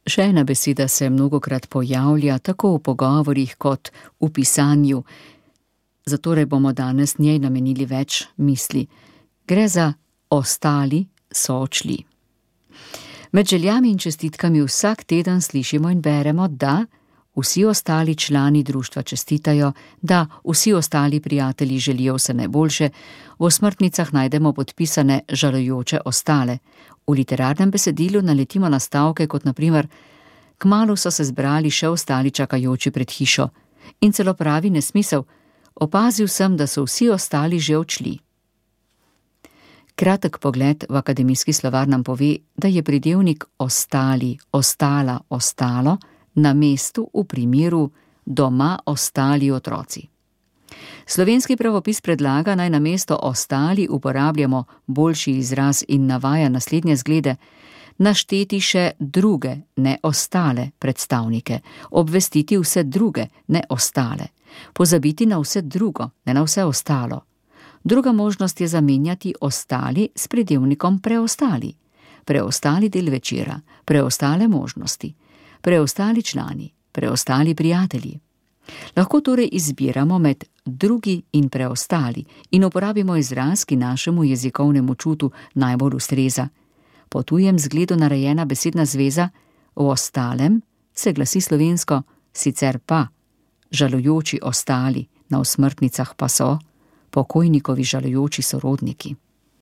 Še ena beseda se mnogokrat pojavlja tako v pogovorih kot v pisanju, zatorej bomo danes njej namenili več misli. Gre za ostali so odšli. Med željami in čestitkami vsak teden slišimo in beremo, da vsi ostali člani društva čestitajo, da vsi ostali prijatelji želijo vse najboljše, v osmrtnicah najdemo podpisane žalujoče ostale. V literarnem besedilu naletimo na stavke kot na primer: kmalu so se zbrali še ostali čakajoči pred hišo, in celo pravi nesmisel: opazil sem, da so vsi ostali že odšli. Kratek pogled v akademijski slovar nam pove, da je pridevnik ostali, ostala, ostalo na mestu v primeru doma ostali otroci. Slovenski pravopis predlaga, naj na mesto ostali uporabljamo boljši izraz in navaja naslednje zglede: našteti še druge, ne ostale predstavnike, obvestiti vse druge, ne ostale, pozabiti na vse drugo, ne na vse ostalo. Druga možnost je zamenjati ostali s pridevnikom preostali. Preostali del večera, preostale možnosti, preostali člani, preostali prijatelji. Lahko torej izbiramo med drugi in preostali in uporabimo izraz, ki našemu jezikovnemu čutu najbolj ustreza. Po tujem zgledu narejena besedna zveza v ostalem se glasi slovensko: sicer pa, žalujoči ostali, na osmrtnicah pa so pokojnikovi žalujoči sorodniki.